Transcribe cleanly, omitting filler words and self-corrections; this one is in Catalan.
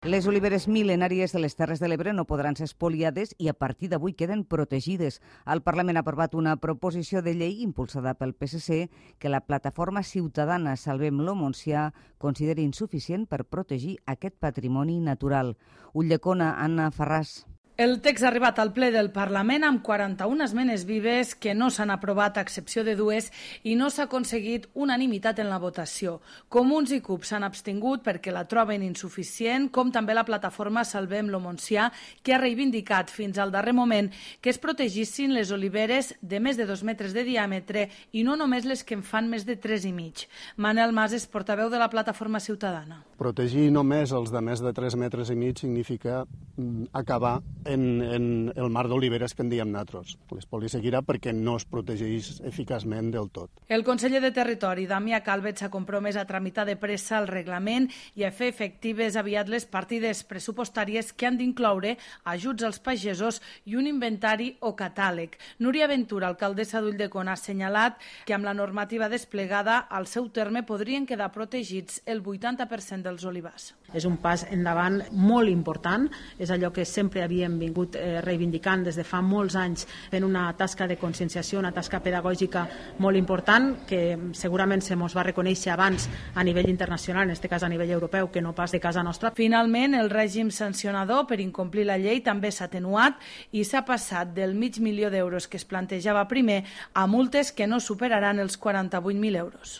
Les oliveres mil·lenàries de les Terres de l'Ebre no podran ser espoliades i a partir d'avui queden protegides. El Parlament ha aprovat una proposició de llei impulsada pel PSC que la plataforma ciutadana Salvem lo Montsià considera insuficient per protegir aquest patrimoni natural. Ulldecona, Anna Farràs. El text ha arribat al ple del Parlament amb 41 esmenes vives que no s'han aprovat a excepció de dues i no s'ha aconseguit unanimitat en la votació. Comuns i CUP s'han abstingut perquè la troben insuficient, com també la plataforma Salvem lo Montsià, que ha reivindicat fins al darrer moment que es protegissin les oliveres de més de 2 metres de diàmetre i no només les que en fan més de 3,5. Manel Mas és portaveu de la plataforma ciutadana. Protegir només els de més de 3,5 metres significa acabar en el mar d'oliveres que en diem nosaltres. L'espoli seguirà perquè no es protegeix eficaçment del tot. El conseller de Territori, Damià Calvet, s'ha compromès a tramitar de pressa el reglament i a fer efectives aviat les partides pressupostàries que han d'incloure ajuts als pagesos i un inventari o catàleg. Núria Ventura, alcaldessa d'Ulldecona, ha assenyalat que amb la normativa desplegada al seu terme podrien quedar protegits el 80% dels olivars. És un pas endavant molt important, és allò que sempre havíem vingut reivindicant des de fa molts anys, fent una tasca de conscienciació, una tasca pedagògica molt important, que segurament se mos va reconèixer abans a nivell internacional, en aquest cas a nivell europeu, que no pas de casa nostra. Finalment, el règim sancionador per incomplir la llei també s'ha atenuat i s'ha passat del $500.000 que es plantejava primer a multes que no superaran els 48.000 euros.